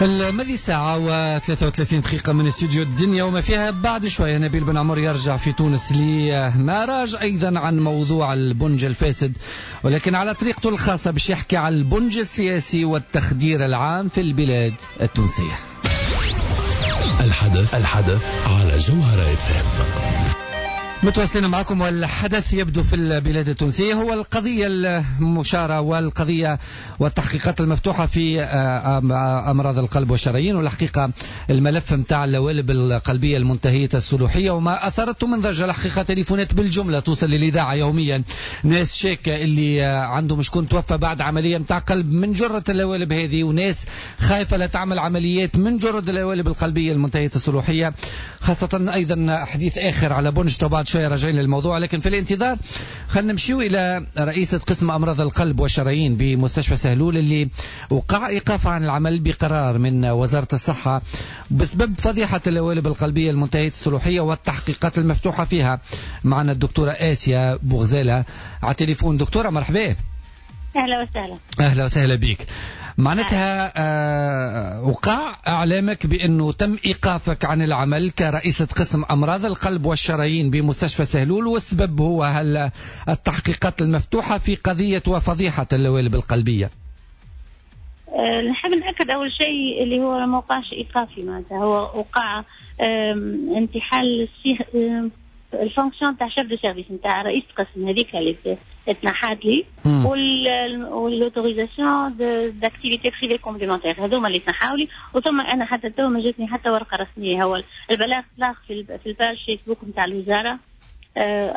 الماضي ساعة و33 دقيقة من استوديو الدنيا وما فيها. بعد شوية نبيل بن عمر يرجع في تونس لمراج أيضا عن موضوع البنج الفاسد، ولكن على طريقته الخاصة باش يحكي على البنج السياسي والتخدير العام في البلاد التونسية. الحدث على جوهرة FM. متواصلين معكم، والحدث يبدو في البلاد التونسية هو القضية المشارة والقضية والتحقيقات المفتوحة في أمراض القلب والشرايين، والحقيقة الملف متاع اللوالب القلبية المنتهية الصلاحية وما أثرته من ضجة. الحقيقة تليفونات بالجملة توصل للإذاعة يوميا، ناس شاكة اللي عندهم شكون توفى بعد عملية متاع قلب من جرة اللوالب هذه، وناس خايفة لا تعمل عمليات من جرة اللوالب القلبية المنتهية الصلاحية. خاصة أيضا حديث آخر على بنج بعد شوية راجعين للموضوع، لكن في الانتظار خلينا نمشيو إلى رئيسة قسم أمراض القلب والشرايين بمستشفى سهلول اللي وقع إيقاف عن العمل بقرار من وزارة الصحة بسبب فضيحة اللوالب القلبية المنتهية الصلاحية والتحقيقات المفتوحة فيها. معنا الدكتورة آسيا بوغزالة على التليفون. دكتورة مرحبا. أهلا وسهلا. أهلا وسهلا بك. معناتها وقع إعلامك بأنه تم إيقافك عن العمل كرئيسة قسم أمراض القلب والشرايين بمستشفى سهلول، والسبب هو هل التحقيقات المفتوحة في قضية وفضيحة اللوالب القلبية؟ نحب نأكد أول شيء اللي هو ما وقعش إيقافي، معناتها هو وقع انتحال ال fonction تاع chef de service نتاع رئيس قسم هذيك اللي تنحات لي، وال autorisation d'activité privée complémentaire هذوما اللي تنحاو لي. وثم انا حتى تو ما جاتني حتى ورقة رسمية، هو البلاغ طلع في ال page فيسبوك نتاع الوزارة،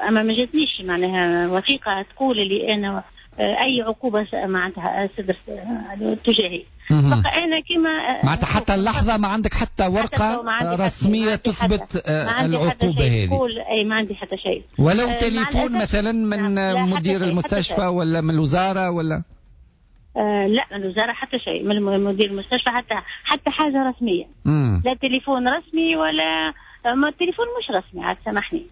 اما ما جاتنيش معناها وثيقة تقول اللي انا اي عقوبه معناتها صدرت تجاهي. بقى انا كما معناتها حتى اللحظة ما عندك حتى ورقة رسمية تثبت العقوبة هذه؟ اي ما عندي حتى شيء، ولو تليفون مثلا من مدير المستشفى ولا من الوزارة ولا؟ لا من الوزارة حتى شيء، من مدير المستشفى حتى حاجة رسمية. لا تليفون رسمي ولا ما التليفون مش رسمي عاد سامحني.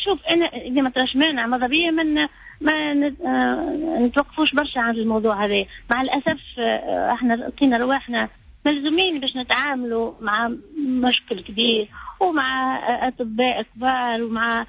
شوف انا اذا ما تراش مانع ماذا بيا من ما نتوقفوش برشا عن الموضوع هذا. مع الاسف احنا لقينا رواحنا ملزومين باش نتعاملوا مع مشكل كبير ومع اطباء كبار ومع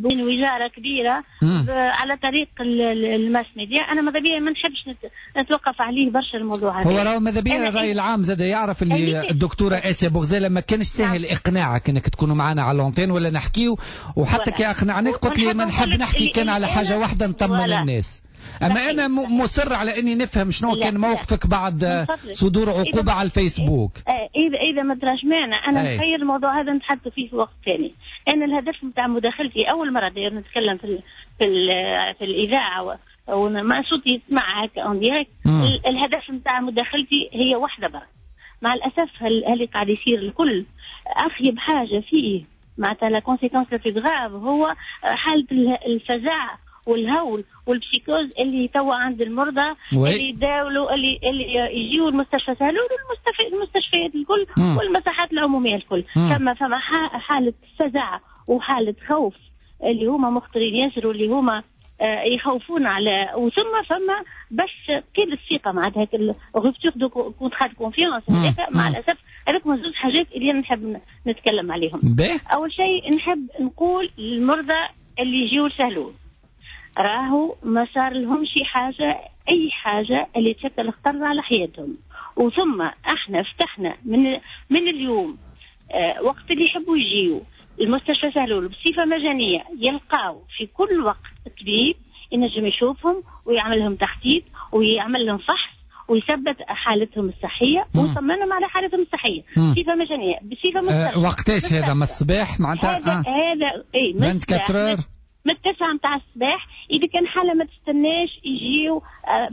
وزارة كبيرة على طريق ال mass media. انا ماذا بيا ما نحبش نتوقف عليه برشا الموضوع هذا. هو راهو ماذا بيا الراي العام زاد يعرف اللي الدكتورة اسيا بوغزاله ما كانش سهل اقناعك انك تكونوا معنا على l'antenne ولا نحكيو، وحتى كي اقنعناك قلت لي ما نحب نحكي كان على حاجة واحدة نطمن الناس. أما أنا مصر على أني نفهم شنو كان موقفك بعد صدور عقوبة على الفيسبوك. إذا ما تراش مانع أنا نخير الموضوع هذا نتحدث فيه في وقت ثاني. أنا الهدف نتاع مداخلتي أول مرة داير نتكلم في الإذاعة وما صوتي يسمع هكا en direct. الهدف نتاع مداخلتي هي واحدة برك. مع الأسف اللي قاعد يصير الكل أخيب حاجة فيه معناتها la conséquence la plus grave هو حالة الفزع والهول وال psychose اللي توا عند المرضى اللي يداولوا اللي يجيوا المستشفى سهلول والمستشفيات الكل والمساحات العمومية الكل. فما حاله فزع وحاله خوف اللي هما مخطرين ياسر واللي هما يخوفون على، وثم فما بس قلة الثقة معناتها rupture de contrat de confiance. مع الاسف هذوك زوج حاجات اللي انا نحب نتكلم عليهم. اول شيء نحب نقول للمرضى اللي يجيوا لسهلول راهو ما صار لهم شي حاجة أي حاجة اللي تشكل خطر على حياتهم. وثم احنا فتحنا من اليوم وقت اللي يحبوا يجيوا المستشفى سهلول بصفة مجانية يلقاو في كل وقت طبيب ينجم يشوفهم ويعمل لهم تخطيط ويعمل لهم فحص ويثبت حالتهم الصحية ويطمنهم على حالتهم الصحية بصفة مجانية بصفة مستشفى. وقتاش هذا؟ من الصباح معناتها؟ هذا اي 24 من 9 متاع الصباح. إذا كان حالة ما تستناش يجيو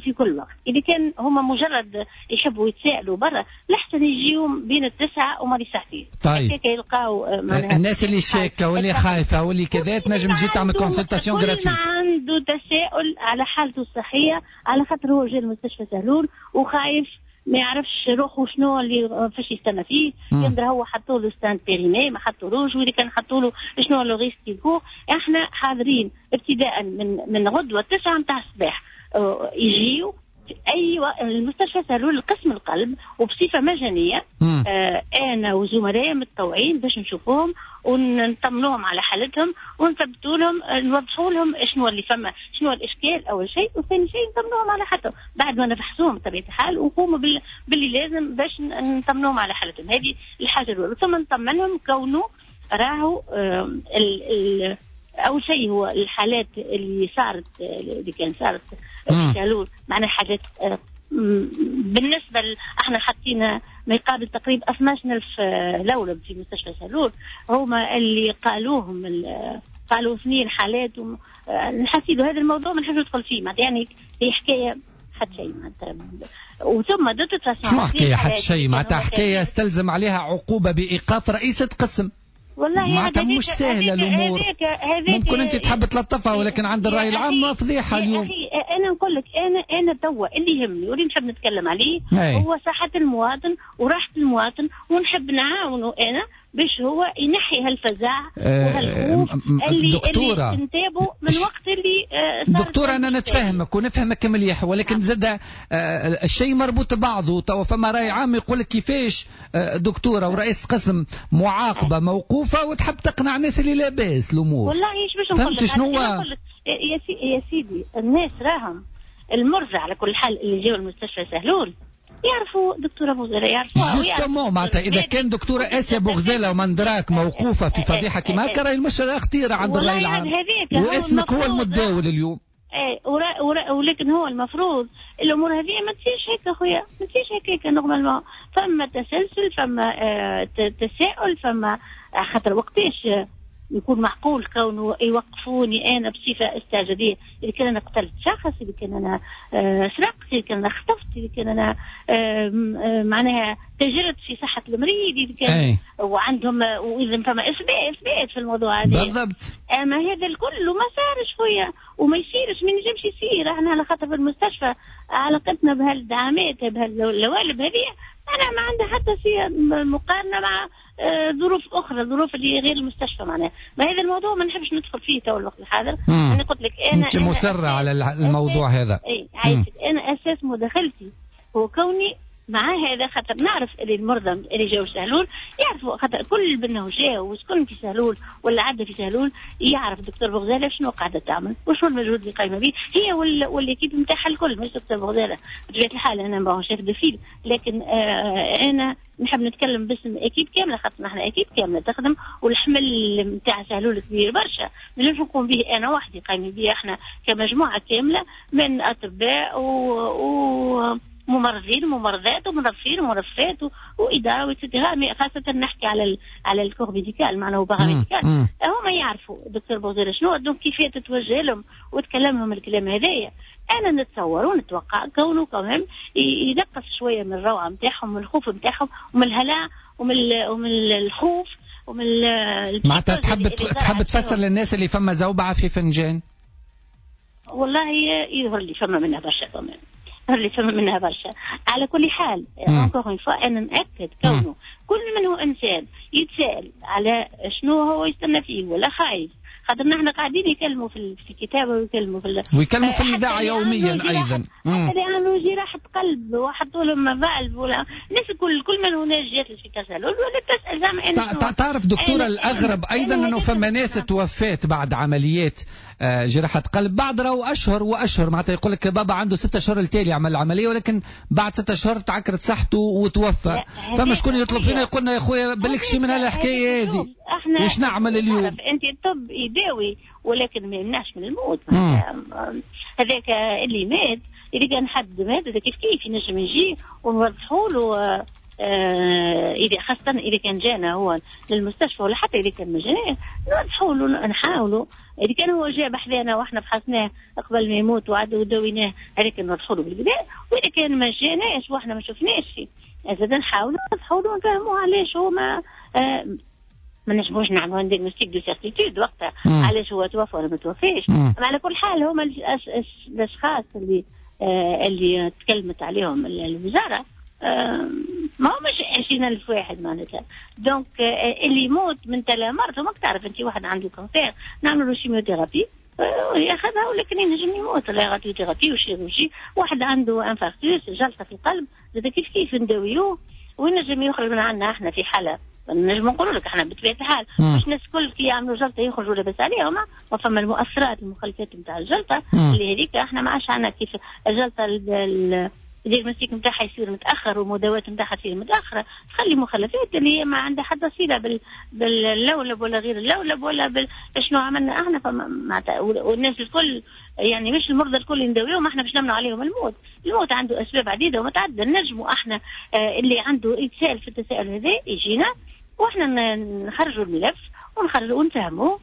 في كل وقت. إذا كان هما مجرد يحبوا يتسائلوا برا الأحسن يجيو بين 9 وماضي ساعتين. طيب يلقاو الناس اللي شاكة واللي خايفة واللي كذا تنجم تجي تعمل consultation gratuite. عنده تساؤل على حالته الصحية على خاطر هو جا المستشفى سهلول وخايف ما يعرفش روحه شنو اللي فاش يستنى فيه، يندر هو حطوا له stent périmé ما حطولوش، واذا كان حطوا له شنو le risque يكون. احنا حاضرين ابتداء من غدوه 9 نتاع الصباح يجيو ايوه، المستشفى سهلول قسم القلب وبصفه مجانية. انا وزملائي متطوعين باش نشوفوهم ونطمنوهم على حالتهم ونثبتوا لهم، نوضحوا لهم شنو اللي فما، شنو الاشكال اول شيء، وثاني شيء نطمنوهم على حالتهم بعد ما نفحصوهم بطبيعة الحال ونقوموا باللي لازم باش نطمنوهم على حالتهم. هذه الحاجة الاولى. ثم نطمنهم كونه راهو اول شيء هو الحالات اللي صارت، اللي كان صارت في سهلول، معناها حاجات بالنسبة احنا حطينا ما يقابل تقريبا 12,000 لولب في مستشفى سهلول، هما اللي قالوهم قالوا 2 حالات. نحسيدوا هذا الموضوع ما نحبش ندخل فيه، معناتها يعني هي حكاية حتى شيء معناتها. وثم de toute façon شنو حكاية حتى شيء معناتها؟ حكاية استلزم عليها عقوبه بايقاف رئيسه قسم. والله معناتها مش سهلة الامور. ممكن انت تحب تلطفها، ولكن عند الراي العام فضيحة اليوم. اخي انا نقول لك، انا توا اللي يهمني واللي نحب نتكلم عليه هو صحة المواطن وراحة المواطن، ونحب نعاونه انا باش هو ينحي هالفزع وهالخوف اللي انتابه من وقت اللي دكتورة انا نتفهمك ونفهمك مليح، ولكن زاد الشيء مربوط ببعضه. توا فما راي عام يقول لك كيفاش دكتورة ورئيس قسم معاقبة موقوفة وتحب تقنع الناس اللي لاباس الامور. والله ايش باش نقول لك، فهمت شنو؟ يا سيدي الناس راهم المرضى على كل حال اللي جاوا المستشفى سهلول يعرفوا دكتورة بوغزالة، يعرفوها justement. معناتها إذا كان دكتورة آسيا بوغزالة ومندراك موقوفة في فضيحة كما هكا، راهي المشكلة خطيرة عند الرأي العام، واسمك هو المتداول اليوم. ايه ولكن هو المفروض الأمور هذه ما تصيرش هيك أخويا، ما تصيرش هيك normalement. فما تسلسل، فما تساؤل، فما خاطر وقتاش يكون معقول كونه يوقفوني انا بصفة استعجاليه؟ اذا كان انا قتلت شخص، اذا كان انا سرقت، اذا كان انا خطفت، اذا كان انا معناها تاجرت في صحة المريض، اذا كان وعندهم واذا فما اثبات في الموضوع هذا بالضبط. اما هذا الكل ما صارش خويا وما يصيرش، ما ينجمش يصير. احنا على خاطر في المستشفى علاقتنا بهالدعامات بهاللوالب هذه انا ما عندها حتى شيء مقارنة مع ظروف اخرى، ظروف اللي غير المستشفى معناها. ما هذا الموضوع ما نحبش ندخل فيه تو الوقت الحاضر. انا قلت لك انا انت مصرة على الموضوع هذا. اي عايشك. انا اساس مداخلتي هو كوني مع هذا، خاطر نعرف اللي المرضى اللي جاوا سهلول يعرفوا، خاطر كل بنه جاوا وسكن في سهلول ولا عدى في سهلول يعرف دكتور بوغزالة شنو قاعدة تعمل وشنو المجهود اللي قايمة به هي وال équipe نتاعها الكل، مش دكتور بوغزالة بطبيعة الحال. انا ماهو chef de file، لكن انا نحب نتكلم باسم équipe كاملة، خاطر نحن équipe كاملة تخدم، والحمل نتاع سهلول كبير برشا، ما نجمش نقوم به انا وحدي، قايمين به احنا كمجموعة كاملة من اطباء و ممرضين وممرضات ومنظفين ومنظفات واداره و et cetera. خاصة نحكي على ال corps médical معناه paramédical، هما يعرفوا دكتور بوغزالة شنو، donc كيفاش تتوجه لهم وتكلمهم الكلام هذايا. انا نتصور ونتوقع كونه كمان ينقص شوية من الروعة نتاعهم ومن الخوف نتاعهم ومن الهلع ومن الخوف ومن معناتها تحب تفسر للناس اللي فما زوبعة في فنجان؟ والله يظهر لي فما منها برشا كمان، اللي فما منها برشا. على كل حال encore une fois انا ناكد كونه كل من هو انسان يتساءل على شنو هو يستنى فيه ولا خايف، خاطر نحن قاعدين يكلموا في الكتابة ويكلموا في ويكلموا في الاذاعة يوميا ايضا، حتى اللي عنده جراحه قلب وحطوا لهم valve ولا الناس كل من هنا جات في سهلول ولا تسال زعما. تعرف دكتورة الاغرب ايضا انه فما ناس توفات بعد عمليات جراحه قلب بعد راهو اشهر واشهر، معناتها يقول لك بابا عنده 6 اشهر التالي عمل العملية، ولكن بعد 6 اشهر تعكرت صحته وتوفى. فما شكون يطلب فينا يقول لنا يا خويا بالك شي من هالحكايه هذه، واش نعمل اليوم؟ انت الطب يداوي ولكن ما يمنعش من الموت. هذاك اللي مات، اذا كان حد مات هذا كيف كيف ينجم يجي ونوضحوا له، اذا خاصة اذا كان جانا هو للمستشفى ولا حتى اذا كان ما جاناش نوضحوا له، نحاولوا. اذا كان هو جا بحذانا واحنا فحصناه قبل ما يموت وعدوا وداويناه هذاك نوضحوا له بالبداية، واذا كان ما جاناش واحنا ما شفناش زاد نحاولوا نوضحوا له ونفهموه علاش هو ما نجموش نعملوا diagnostic de certitude وقتها علاش هو توفى ولا ما توفاش. على كل حال هما الاشخاص اللي تكلمت عليهم الوزارة ما همش 20,000 واحد معناتها. donc اللي يموت من تلا مرض، ماك تعرف انت واحد عنده cancer نعملوا له chimiothérapie ياخذها ولكن ينجم يموت. la radiothérapie و chirurgie، واحد عنده infarctus، جلطة في القلب، زاد كيف كيف نداويوه وينجم يخرج من عندنا. احنا في حاله نجم نقولوا لك احنا بطبيعة الحال مش الناس الكل كي يعملوا جلطة يخرجوا لاباس عليهم، وفما المؤثرات المخلفات نتاع الجلطة اللي هذيك احنا ما عادش عندنا كيف الجلطة ال diagnostic نتاعها يصير متاخر والمداوات نتاعها تصير متاخرة، تخلي مخلفات اللي هي ما عندها حتى صله باللولب ولا غير اللولب ولا شنو عملنا احنا. والناس الكل يعني مش المرضى الكل نداويهم احنا باش نمنع عليهم الموت. الموت عنده اسباب عديدة ومتعددة. نجموا احنا اللي عنده يتساءل في التساؤل هذا يجينا واحنا نخرجوا الملف ونخرجوا ونفهموه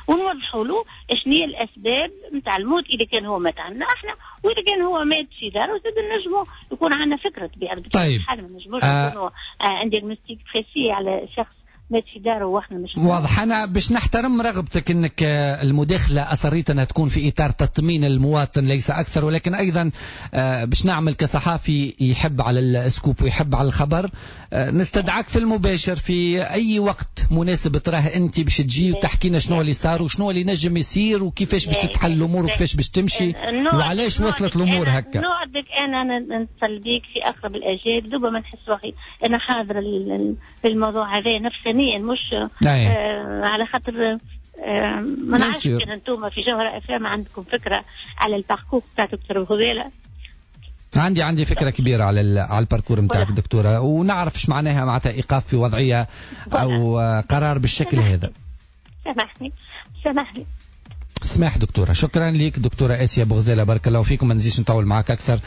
ونوضحوا له شنو هي الاسباب نتاع الموت، اذا كان هو مات عندنا احنا واذا كان هو مات في داره زاد نجموا يكون عندنا فكرة طبيعة. طيب ما نجموش نكونوا un diagnostic précis على شخص مات في داره واحنا مش واضح. انا باش نحترم رغبتك انك المداخلة اصريت انها تكون في اطار تطمين المواطن ليس اكثر، ولكن ايضا باش نعمل كصحافي يحب على ال scoop ويحب على الخبر، نستدعك في المباشر في اي وقت مناسب تراه انت باش تجي وتحكي لنا شنو اللي صار وشنو اللي نجم يصير وكيفاش باش تتحل الامور وكيفاش باش تمشي وعلاش وصلت الامور هكا. نوعدك انا نتصل بيك في اقرب الاجال دوبا ما نحس روحي انا حاضره في الموضوع هذا نفسانيا، مش على خاطر ما نعرفش كان انتم في جوهرة اف ام عندكم فكرة على ال parcours تاع دكتور بوغزالة. عندي فكرة كبيرة على ال parcours نتاعك دكتورة، ونعرف ايش معناها معناتها ايقاف في وضعية او قرار بالشكل هذا. سامحني. سماح دكتورة، شكرا لك دكتورة اسيا بوغزاله، بارك الله فيكم. ما نزيدش نطول معك اكثر.